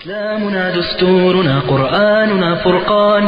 إسلامنا دستورنا قرآننا فرقان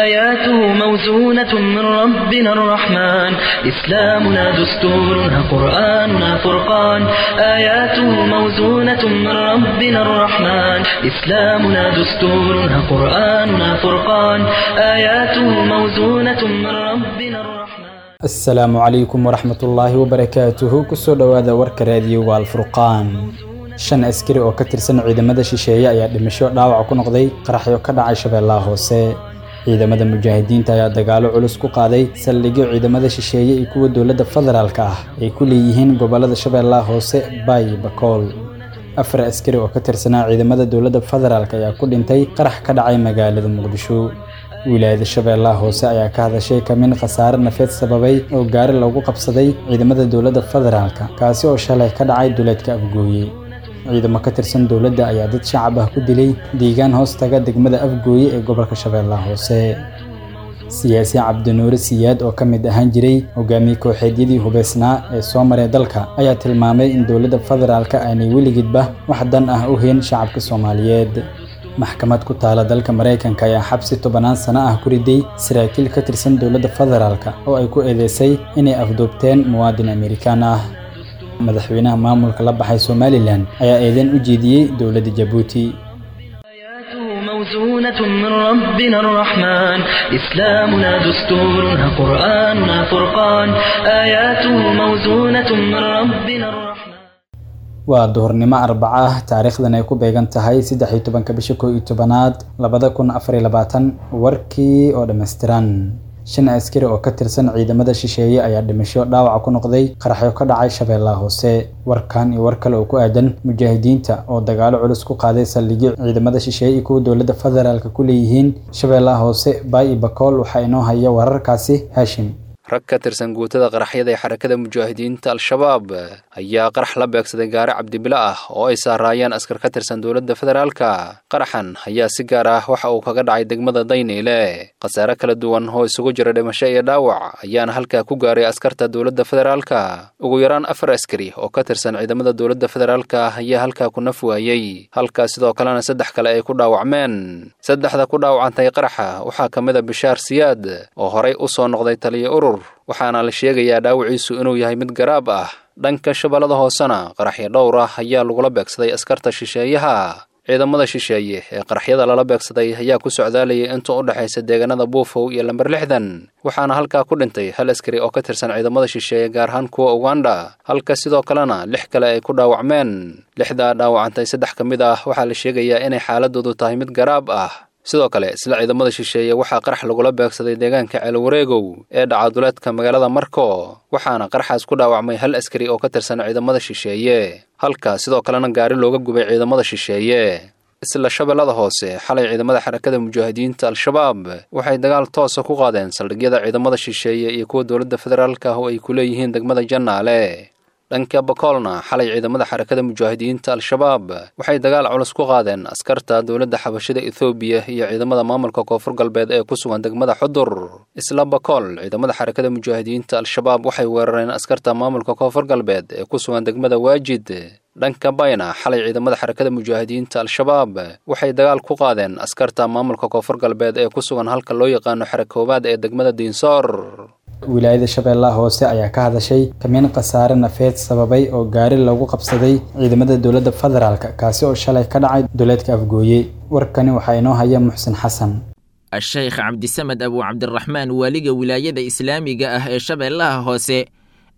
آياته موزونة من ربنا الرحمن إسلامنا دستورنا قرآننا فرقان آياته موزونة من ربنا الرحمن إسلامنا دستورنا قرآننا فرقان آياته موزونة من ربنا الرحمن. Asalaamu calaykum waraxmatullaahi wabarakaatuhu. Kusoo dhowaada warka raadiyoga Alfurqaan. 5 askari oo ka tirsan ciidamada shisheeye ayaa dhimasho dhaawac ku noqday qaraxyo ka dhacay Shabeellaha Hoose. Ciidamada mujaahidiinta ayaa dagaalo culus ku qaaday saldhigyo ciidamada shisheeye iyo kuwa dowladda federaalka ah ay ku leeyihiin gobollada Shabeellaha Hoose, Baay, Bakool. 4 askari oo ka tirsanaa ciidamada dowladda federaalk ayaa ku dhintay qarax ka dhacay magaalada Muqdisho. Wilaayada Shabeellaha Hoose ayaa ka hadashay kamin khasaare nafeed sababay oo gaari lagu qabsaday ciidamada dowladda federaalka, kaasi oo shalay ka dhacay duleedka Afgooye. Ciidamo ka tirsan dowladda ayaa dad shacab ah ku dilay deegaan hoos taga degmada Afgooye ee gobolka Shabeellaha Hoose. Siyaasi Cabdinuure Siyaad oo ka mid ahaan jiray hogaamiye kooxeedyadii hubeysnaa ee soo maray dalka ayaa tilmaamay in dowladda federaalka aanay weligeedba wax dan ah u hayn shacabka Soomaaliyeed. Maxkamad ku taala dalka Maraykanka ayaa xabsi 10 sano ah ku riday saraakiil ka tirsan dowladda federaalka oo ay ku eedeysay inay afduubteen muwaadin Amerikaan ah. Madaxweynaha maamulka la baxay Somaliland ayaa eedeyn u jeediyey dowladda Jabuuti. آياته موزونة من ربنا الرحمن إسلامنا دستورنا قرآننا فرقان آياته موزونة من ربنا الرحمن. Waa duhurnimo Arbaco ah, taariikhdan ay ku beegan tahay 13-ka bisha 11aad 2024. Warkii oo dhammaystiran. 5 askari oo ka tirsan ciidamada shisheeye ayaa dhimasho dhaawac ku noqday qaraxyo ka dhacay Shabeellaha Hoose. Warkan iyo war kale oo ku aadan mujaahidiinta oo dagaalo culus ku qaaday saldhigyo ciidamada shisheeye iyo kuwa dowladda federaalka ku leeyihiin Shabeellaha Hoose, Baay iyo Bakool, waxaa inoo haya wararkaasi Haashim. Rag ka tirsan guutada qaraxyada ee xarakada mujaahidiinta Al-Shabaab ayaa qarax la beegsaday gaari cabdibilo ah oo ay saaraayeen askar ka tirsan dowladda federaalka. Qaraxan ayaa si gaar ah waxa uu kaga dhacay degmada Dayniile. Khasaare kala duwan oo isugu jira dhimasho iyo dhaawac ayaana halkaa ku gaaray askarta dowladda federaalka. Ugu yaraan 4 askari oo ka tirsan ciidamada dowladda federaalka ayaa halkaa ku naf waayey, halkaa sidoo kalena 3 kale ay ku dhaawacmeen. 3da ku dhaawacantay qaraxa waxaa ka mid a Bishaar Siyaad oo horay u soo noqday taliye urur, waxaana la sheegayaa dhaawaciisu inuu yahay mid garaab ah. Dhanka Shabeellada Hoosena qaraxyo dhowr ah ayaa lagula beegsaday askarta shisheeyaha. Ciidamada shisheeye ee qaraxyada lala beegsaday ayaa ku socdaalayay inta u dhexaysa deegaanada Buufow iyo lambar 60, waxaana halkaa ku dhintay 1 askari oo ka tirsan ciidamada shisheeye, gaar ahaan kuwa Uganda, halka sidoo kalena 6 kale ay ku dhaawacmeen. 6daa dhaawacantay 3 ka mid ah waxaa la sheegayaa inay xaaladoodu tahay mid garaab ah. Sidoo kale isla ciidamada shisheeye waxaa qarax lagula beegsaday deegaanka Ceelwareegow ee dhaca duleedka magaalada Marko, waxaana qaraxaas ku dhaawacmay 1 askari oo ka tirsan ciidamada shisheeye, halka sidoo kalena gaari looga gubay ciidamada shisheeye. Isla Shabeellada Hoose xalay ciidamada xarakada mujaahidiinta Al-Shabaab waxay dagaal toosa ku qaadeen saldhigyada ciidamada shisheeye iyo kuwa dowladda federaalka ah oo ay ku leeyihiin degmada Jannaale. Dhanka Bakoolna xalay ciidamada xarakada mujaahidiinta Al-Shabaab waxay dagaal culus ku qaadeen askarta dowladda xabashida Ethoobiya iyo ciidamada maamulka Koonfur Galbeed ee ku sugan degmada Xudur. Isla Bakool ciidamada xarakada mujaahidiinta Al-Shabaab waxay weerareen askarta maamulka Koonfur Galbeed ee ku sugan degmada Waajid. Dhanka Bayna xalay ciidamada xarakada mujaahidiinta Al-Shabaab waxay dagaal ku qaadeen askarta maamulka Koonfur Galbeed ee ku sugan halka loo yaqaano Xarakoobaad ee degmada Diinsoor. Wilaayada Shabeellaha Hoose ayaa ka hadashay kamin khasaare nafeed sababay oo gaari lagu qabsaday ciidamada dowladda federaalka, kaasi oo shalay ka dhacay duleedka Afgooye. Warkani waxaa inoo haya Muxsin Xasan. Asheykh Cabdisamed Abu Cabdiraxmaan, waaliga wilaayada islaamiga ah ee Shabeellaha Hoose,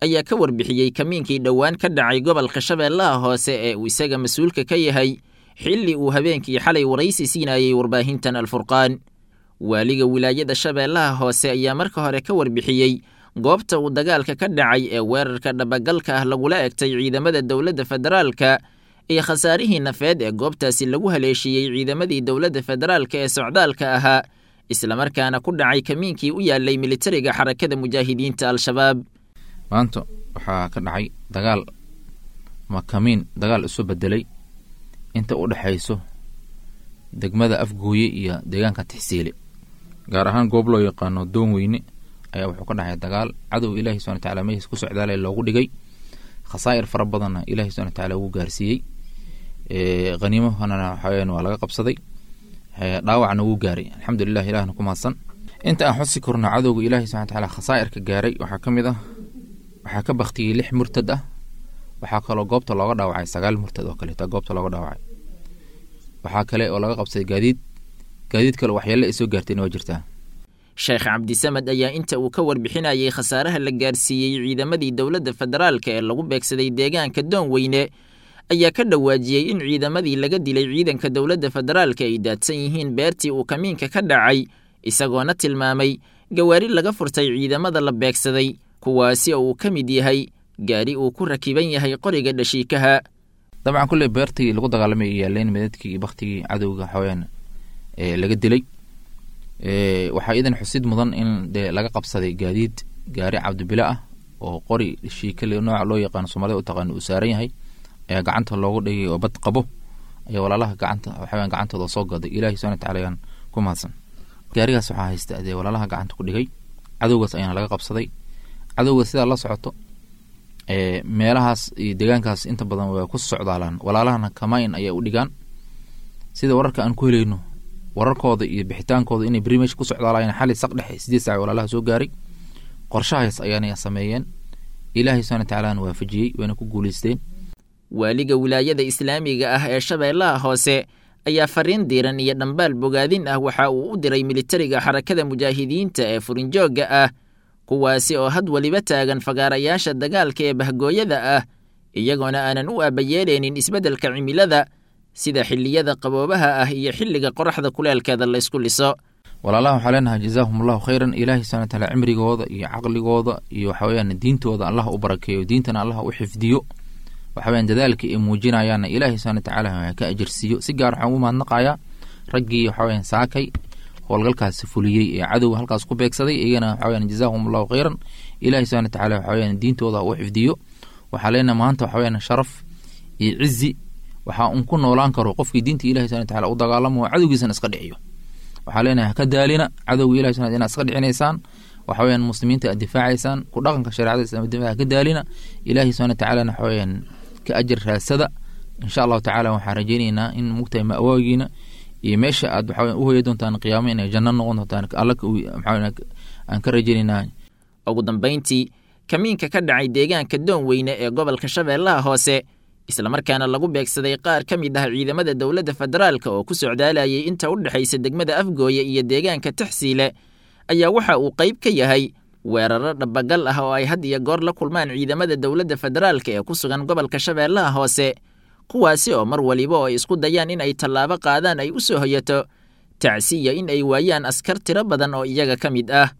ayaa ka warbixiyey kamiinkii dhowaan ka dhacay gobolka Shabeellaha Hoose ee uu isaga mas-uulka ka yahay, xilli uu habeenkii xalay waraysi siinayey warbaahintan Alfurqaan. Waaliga wilaayada Shabeellaha Hoose ayaa marka hore ka warbixiyey goobta uu dagaalka ka dhacay ee weerarka dhabagalka ah lagula egtay ciidamada dowladda federaalka iyo khasaarihii nafeed ee goobtaasi lagu haleeshiiyey ciidamadii dowladda federaalka ee socdaalka ahaa, islamarkaana ku dhacay kamiinkii u yaalay militariga xarakada mujaahidiinta Al-Shabaab. Maanta waxaa ka dhacay dagaal ama kamiin dagaal isu bedelay inta u dhexayso degmada Afgooye iyo deegaanka Tixsiile, gaar ahaan goob loo yaqaano Doonweyne ayaa wuxuu ka dhacay dagaal cadow Ilaahi subxana watacaala meeshiis ku socdaalay loogu dhigay, khasaa'ir fara badanna Ilaahi subxana watacaala ugu gaarsiiyey. Khaniimahana waxaweyaan waa laga qabsaday, dhaawacna wuu gaaray. Alxamdulilah, ilahna ku mahadsan. Inta aan xusi karno cadowga ilaahay subxana watacaala khasaa'irka gaaray waxaa ka mid ah, waxaa ka baktiyey 6 murtad ah. Waxaa kaloo goobta looga dhaawacay 9 murtad oo kaleeta goobta looga dhaawacay. Waxaa kale oo laga qabsaday gaadiid, gaadiid kale waxyeelle ay soo gaartayna waa jirtaa. Sheekh Cabdisamed ayaa inta uu ka warbixinayay khasaaraha la gaarsiiyey ciidamadii dowladda federaalka ee lagu beegsaday deegaanka Doonweyne ayaa ka dhawaajiyey in ciidamadii laga dilay ciidanka dowladda federaalka ay daadsan yihiin beertii uu kamiinka ka dhacay, isagoona tilmaamay gawaari laga furtay ciidamada la beegsaday, kuwaasi oo uu ka mid yahay gaari uu ku rakiban yahay qoriga dhashiikaha. Dabcan kulley beertii lagu dagaalamay ay yaaleen midadkii iyo baktigii cadowga xawayaan ee laga dilay. Waxaa iidan xusid mudan in dee laga qabsaday gaadiid, gaari cabdibile ah oo qori dhashiika nooca loo yaqaano Soomaalida u taqaano uu saaran yahay ayaa gacanta loogu dhigay oo bad qabo ayaa walaalaha gacanta waxawayaan gacantooda soo gaday. Ilaahay subxana watacaala ayaan ku mahadsan. Gaarigaas waxaa haysta dee walaalaha gacanta ku dhigay, cadowgaas ayaana laga qabsaday. Cadowga sidaa la socoto meelahaas iyo deegaankaas inta badan way ku socdaalaan, walaalahana kamayn ayay u dhigaan. Sida wararka aan ku helayno, wararkooda iyo bixitaankooda inay beri meesha ku socdaalayeen xali saq dhexe 8 saac walaalaha soo gaaray, qorshahaas ayaana sameeyeen. Ilaahay subxana watacaala waafajiyey, wayna ku guuleysteen. Waaliga wilaayada islaamiga ah ee Shabeellaha Hoose ayaa fariin diiran iyo dhambaal bogaadin ah waxa uu u diray militariga Xarakada Mujaahidiinta ee furinjoogga ah, kuwaasi oo had weliba taagan fagaarayaasha dagaalka ee bahgooyada ah, iyagoona aanan u aabayeeleynin isbeddelka cimilada sida xilliyada qaboobaha ah iyo xilliga qoraxda kuleelkeeda laysku liso. Walaalaha waxaa leenahay jazaahum allahu khayran. Ilaahay subxana watacaala cimrigooda iyo caqligooda iyo waxaweyaan diintooda Allah u barakeeyo, diintana Allah u xifdiyo. Waxaweyaan dadaalka ay muujinayaanna Ilaahay subxana watacaala ka ajirsiiyo. Si gaar waxaan ugu mahadnaqayaa raggii waxaweyaan saakay howlgalkaasi fuliyey ee cadowga halkaas ku beegsaday, iyagana waxaweyaan jazaahum allahu khayran. Ilaahay subxana watacaala waxaweyaan diintooda u xifdiyo. Waxaa leenahay maanta waxaweyaan sharaf iyo cizi waxaa un ku noolaan karo qofkii diinta Ilahi subxana watacaala u dagaalamo oo cadowgiisana iska dhiciyo. Waxaa leenahay haka daalina cadowga Ilahi subxana inaad iska dhicinaysaan, waxaweyaan muslimiinta aad difaacaysaan, ku dhaqanka shareecada islaamka difaaca haka daalina. Ilaahi subxana watacaalana waxaweyaan ka ajar raasada insha allahu tacaala. Waxaan rajaynaynaa in mugtahay ma'waagiina iyo meesha aad waxaweyaan u hoya doontaan qiyaamo inay janno noqon doontaan, alla maxaa aan ka rajaynaynaa. Ugu dambayntii, kamiinka ka dhacay deegaanka Doonweyne ee gobolka Shabeellaha Hoose, islamarkaana lagu beegsaday qaar ka mid ah ciidamada dowladda federaalka oo ku socdaalayay inta u dhexaysa degmada Afgooye iyo deegaanka Taxsiile, ayaa waxa uu qayb ka yahay weeraro dhabagal ah oo ay had iyo goor la kulmaan ciidamada dowladda federaalka ee ku sugan gobolka Shabeellaha Hoose, kuwaasi oo mar waliba oo ay isku dayaan in ay tallaabo qaadaan ay u soo hoyato tacsiya in ay waayaan askar tiro badan oo iyaga ka mid ah.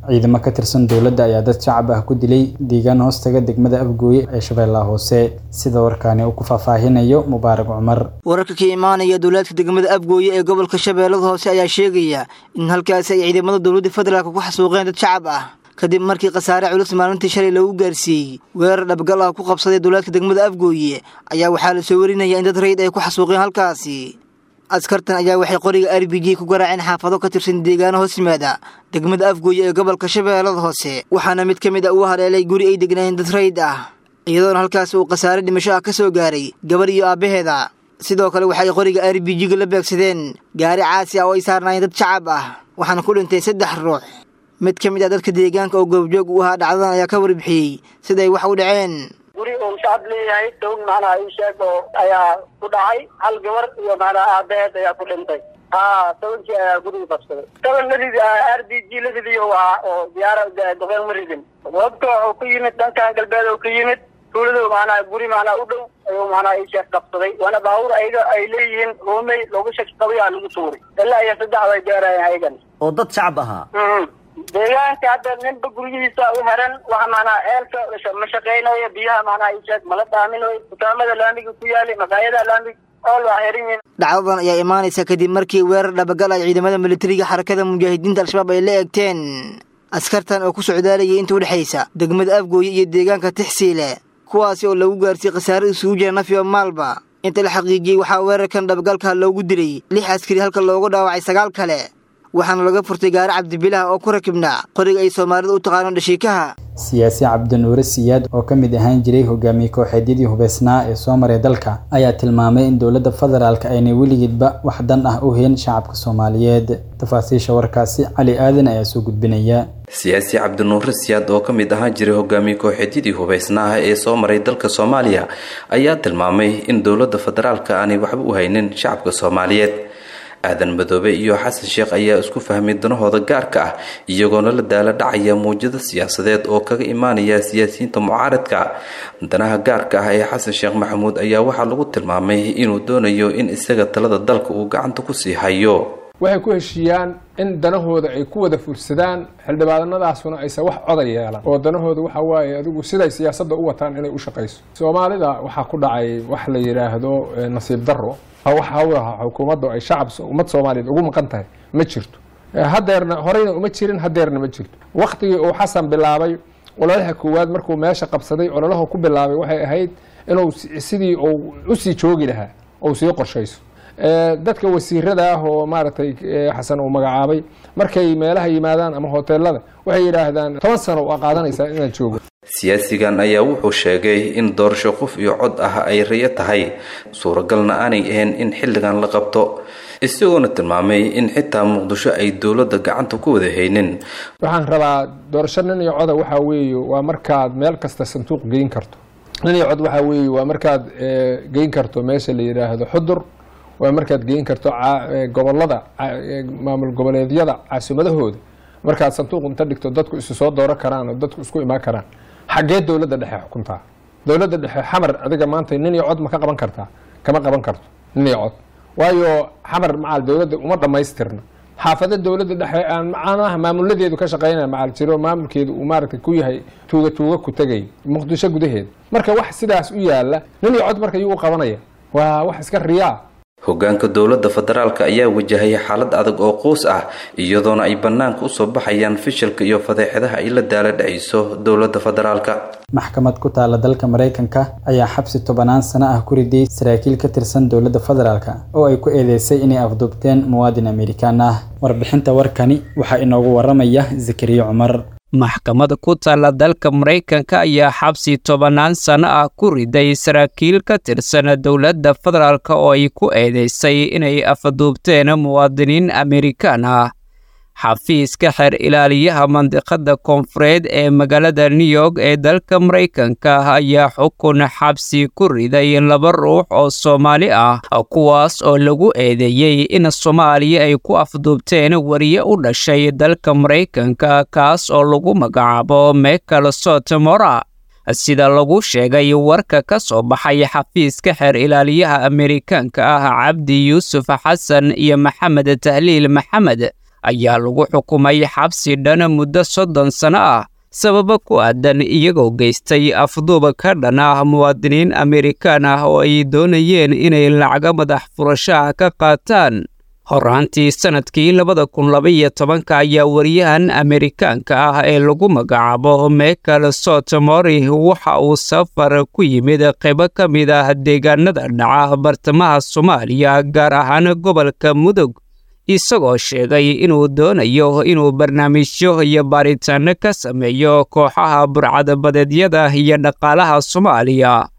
Ciidamo ka tirsan dowladda ayaa dad shacab ah ku dilay deegaan hoostaga degmada Afgooye ee Shabeellaha Hoose, sida warkaani uu ku faahfaahinayo Mubaarak Cumar. Wararka ka imaanaya dowlaadka degmada Afgooye ee gobolka Shabeellada Hoose ayaa sheegaya in halkaasi ay ciidamada dowladda federaalka ku xasuuqeen dad shacab ah, kadib markii khasaare culus maalintii shalay lagu gaarsiiyey weerar dhabgal ah ku qabsaday dowlaadka degmada Afgooye. Ayaa waxaa la soo warinaya in dad rayid ay ku xasuuqeen halkaasi. Askartan ayaa waxay qoriga RPG ku garaaceen xaafado ka tirsan deegaano hoos yimaada degmada Afgooye ee gobolka Shabeellada Hoose, waxaana mid ka mid ah uu haleelay guri ay degnaayeen dad rayid ah, iyadoona halkaas uu khasaare dhimasho ah ka soo gaaray gabar iyo aabbaheeda. Sidoo kale waxay qoriga RPG-ga la beegsadeen gaari caasi ah oo ay saarnaayeen dad shacab ah, waxaana ku dhintay 3 ruux. Mid ka mid ah dadka deegaanka oo goobjoog u ahaa dhacdadan ayaa ka warbixiyey siday wax u dhaceen. Guri uu shacab leeyahay dhown macnaha ii sheeg oo ayaa ku dhacay, hal gabar iyo macnaha aabaheed ayaa ku dhintay. Haa, tobankii ayaa guriga qabsaday. Toban la ridi, RPG la ridiyo ahaa oo diyaara dabeen ma ridin. Wabka wuxuu ku yimid dhankan galbeed oo ka yimid tuuladu, macnaha guri macnaha u dhow ayuu macnaha ii sheeg qabsaday, waana baabuur ayaga ay leeyihiin roomey loogu shaki qabay aa lagu tuuray. Ilaa iyo 3 way gaarayeen ayagan oo dad shacab ahaa. Deegaanka hadda ninba guryihiisa u xiran, waxa macnaha ceelka ma shaqaynayo, biyaha macnaha ii sheeg mala dhaaminayo, dukaamada laamiga ku yaali, maqaayadaha laamiga ool waa xiran yihiin. Dhacdadan ayaa imaanaysa kadib markii weerar dhabagal ay ciidamada militariga Xarakada Mujaahidiinta Al-Shabaab ay la eegteen askartan oo ku socdaalayay inta u dhexaysa degmada Afgooye iyo deegaanka Tixsiile, kuwaasi oo lagu gaarsiiyey khasaare isugu jira naf iyo maalba. Inta la xaqiijiyey waxaa weerarkan dhabagalka loogu dilay 6 askari, halka loogu dhaawacay 9 kale. Waxaana laga furtay gaari Cabdibilaha oo ku rakibnaa qoriga ay Soomaalida u taqaano dhashiikaha. Siyaasi Cabdinuure Siyaad oo ka mid ahaan jiray hogaamiye kooxeedyadii hubeysnaa ee soo maray dalka ayaa tilmaamay in dowladda federaalka aynay weligeedba wax dan ah u hayn shacabka Soomaaliyeed. Tafaasiisha warkaasi Cali Aadan ayaa soo gudbinaya. Siyaasi Cabdinuure Siyaad oo ka mid ahaan jiray hogaamiye kooxeedyadii hubeysnaaha ee soo maray dalka Soomaaliya ayaa tilmaamay in dowladda federaalka aanay waxba u haynin shacabka Soomaaliyeed. Aadan Madoobe iyo Xasan Sheekh ayaa isku fahmay danahooda gaarka ah, iyagoona la daala dhacaya muwjado siyaasadeed oo kaga imaanaya siyaasiyiinta mucaaradka. Danaha gaarka ah ee Xasan Sheekh Maxamuud ayaa waxaa lagu tilmaamay inuu doonayo in isaga talada dalka uu gacanta kusii hayo. Waxay ku heshiiyaan in danahooda ay ku wada fursadaan, xildhibaanadaasuna aysan wax coda yeelan, oo danahooda waxa waaye adigu siday siyaasadda u wataan inay u shaqayso. Soomaalida waxaa ku dhacay wax la yidhaahdo nasiib darro. Wax hawlaha xukuumaddu ay shacab ummad Soomaaliyeed ugu maqan tahay ma jirto, hadeerna horeyna uma jirin, hadeerna ma jirto. Waktigii uu Xasan bilaabay ololaha koowaad, markuu meesha qabsaday, ololaha ku bilaabay waxay ahayd inuu sidii uu usii joogi lahaa ou sii qorshayso. Dadka wasiirada ah oo maaragtay Xasan uu magacaabay, markay meelaha yimaadaan ama hoteelada, waxay yidhaahdaan 10 sano waa qaadanaysaa inaan joogo. Siyaasigan ayaa wuxuu sheegay in doorasho qof iyo cod ah ay rayo tahay, suuragalna aanay ahayn in xilligan la qabto, isagoona tilmaamay in xitaa Muqdisho ay dowladda gacanta ku wada haynin. Waxaan rabaa doorasho nin iyo coda waxaa weeye waa markaad meel kasta sanduuq geyn karto. Nin iyo cod waxaa weeye waa markaad geyn karto meesha la yidhaahdo Xudur, waa markaad geyn karto gobolada, maamul goboleedyada caasimadahooda, markaad sanduuq inta dhigto dadku isu soo dooran karaan oo dadku isku imaan karaan. Xaggee dowladda dhexe xukuntaa? Dowladda dhexe Xamar adiga maanta nin iyo cod ma ka qaban kartaa? Kama qaban karto nin iyo cod, waayo Xamar macal dowladda uma dhammaystirna. Xaafado dowladda dhexe aan macnaha maamuladeedu ka shaqeynaya macal jiro, maamulkeedu uu maaragtay ku yahay tuuga tuuga ku tegay Muqdisho gudaheeda. Marka wax sidaas u yaala nin iyo cod marka yuu u qabanaya? Waa wax iska riyaa. Hogaanka dowladda federaalka ayaa wajahaya xaalad adag oo quus ah, iyadoona ay bannaanka usoo baxayaan fishilka iyo fadeexadaha ay la daala dhacayso dowladda federaalka. Maxkamad ku taala dalka Maraykanka ayaa xabsi 10 sano ah ku riday saraakiil ka tirsan dowladda federaalka oo ay ku eedeysay inay afduubteen muwaadin Amerikaan ah. Warbixinta warkani waxaa inoogu waramaya Zakariya Cumar. Maxkamad ku taalla dalka Maraykanka ayaa xabsi 10 sano ah ku riday saraakiil ka tirsan dowladda federaalk oo ay ku eedeysay inay afduubteen muwaadiniin Amerikaan ah. Xafiiska xeer ilaaliyaha mandiqada koonfureed ee magaalada New York ee dalka Maraykanka ayaa xukun xabsi ku riday laba ruux oo Soomaali ah, kuwaas oo lagu eedeeyey in Soomaaliya ay ku afduubteen wariye u dhashay dalka Maraykanka, kaas oo lagu magacaabo Michael Sotomora. Sida lagu sheegay warka ka soo baxay xafiiska xeer ilaaliyaha Amerikaanka ah, Cabdi Yuusuf Xasan iyo Maxamed Tahliil Maxamed ayaa lagu xukumay xabsi dhan muddo 30 sano ah, sababo ku aadan iyagoo geystay afduuba ka dhan ah muwaadiniin Amerikaan ah oo ay doonayeen inay lacago madax furashaha ka qaataan. Horaantii sanadkii 2012 ayaa wariyahan Amerikaanka ah ee lagu magacaabo Michael Sotomori waxa uu safar ku yimid qaybo ka mid ah deegaanada dhaca bartamaha Soomaaliya, gaar ahaan gobolka Mudug, isagoo sheegay inuu doonayo inuu barnaamijyo iyo baaritaano ka sameeyo kooxaha burcadbadeedyada iyo dhaqaalaha Soomaaliya.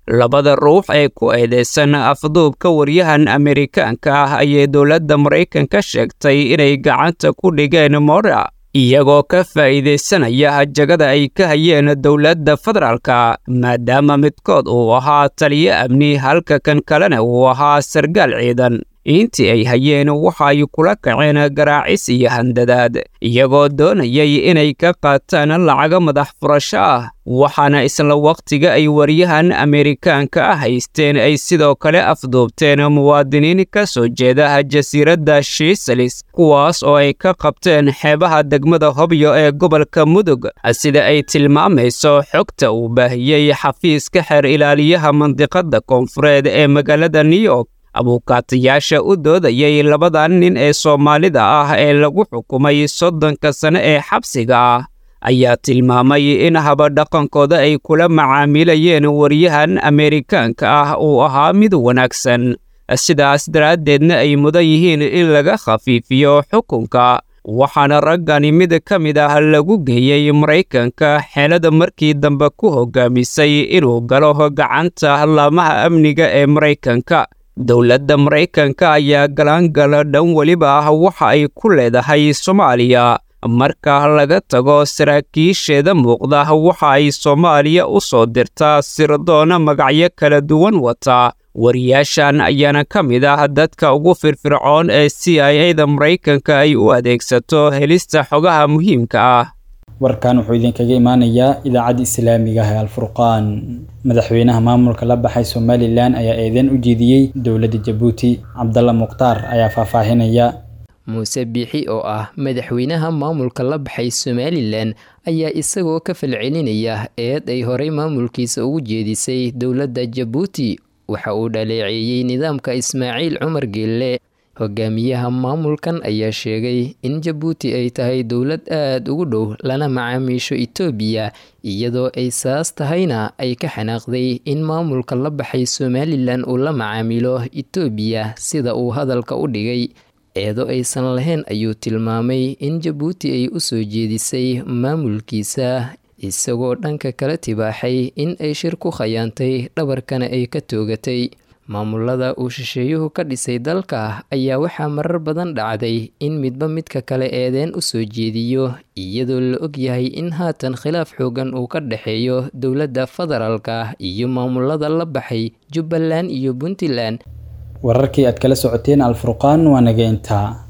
Labada ruux ee ku eedeysan afduubka waryahan Amerikaanka ah ayay dowladda Maraykanka sheegtay inay gacanta ku dhigeen Mora, iyagoo ka faa'iidaysanaya jagada ay ka hayeen dowladda federaalka, maadaama midkood uu ahaa taliyo amni halka kan kalena uu ahaa sargaal ciidan. Intii ay hayeen waxa ay kula kaceen garaacis iyo handadaad, iyagoo doonayay inay ka qaataan lacago madax furasho ah. Waxaana isla waqtiga ay wariyahan Amerikaanka ah haysteen ay sidoo kale afduubteen muwaadiniin ka soo jeeda jasiiradda Shiisalis, kuwaas oo ay ka qabteen xeebaha degmada Hobyo ee gobolka Mudug, sida ay tilmaamayso xogta uu baahiyey xafiiska xeer ilaaliyaha mandiqada koonfureed ee magaalada New York. Abuukaatayaasha u doodayay labadan nin ee Soomaalida ah ee lagu xukumay 30-ka sano ee xabsiga ah ayaa tilmaamay in habadhaqankooda ay kula macaamilayeen wariyahan Amerikaanka ah uu ahaa mid wanaagsan, Sidaas daraaddeedna ay mudan yihiin in laga khafiifiyo xukunka. Waxaana raggani mid ka mid ah lagu geeyey Maraykanka, xeelada markii dambe ku hogaamisay inuu galo gacanta laamaha amniga ee Maraykanka. Dowladda Maraykanka ayaa galaangala dhan weliba ah waxa ay ku leedahay Soomaaliya. Marka laga tago saraakiisheeda muuqda, waxa ay Soomaaliya u soo dirtaa sirdoona magacyo kala duwan wata. Wariyaashan ayaana ka mid ah dadka ugu firfircoon ee CIA-da Maraykanka ay u adeegsato helista xogaha muhiimka ah. Warkan wuxuu idinkaga imaanayaa idaacadda islaamiga ah ee Alfurqaan. Madaxweynaha maamulka la baxay Somalilan ayaa eedeyn u jeediyey dowladda Jabuuti. Cabdalla Mukhtaar ayaa faahfaahinaya. Muuse Biixi oo ah madaxweynaha maamulka la baxay Somalilan ayaa isagoo ka falcelinaya eed ay horey maamulkiisa ugu jeedisay dowladda Jabuuti, waxa uu dhaleeceeyey nidaamka Ismaaciil Cumar Geelle. Hogaamiyaha maamulkan ayaa sheegay in Jabuuti ay tahay dowlad aad ugu dhow lana macaamiisho Itoobiya, iyadoo ay saas tahayna ay ka xanaaqday in maamulka la baxay Somalilan uu la macaamilo Itoobiya, sida uu hadalka u dhigay. Eedo aysan lahayn ayuu tilmaamay in Jabuuti ay u soo jeedisay maamulkiisa, isagoo dhanka kala tibaaxay in ay shir ku khayaantay dhabarkana ay ka toogatay. Maamulada uu shisheeyuhu ka dhisay dalka ayaa waxaa marar badan dhacday in midba midka kale eedeen u soo jeediyo, iyadoo la ogyahay in haatan khilaaf xoogan uu ka dhexeeyo dowladda federaalka iyo maamulada la baxay Jubbaland iyo Puntland. Wararkii aad kala socoteen Alfurqaan waa naga intaa.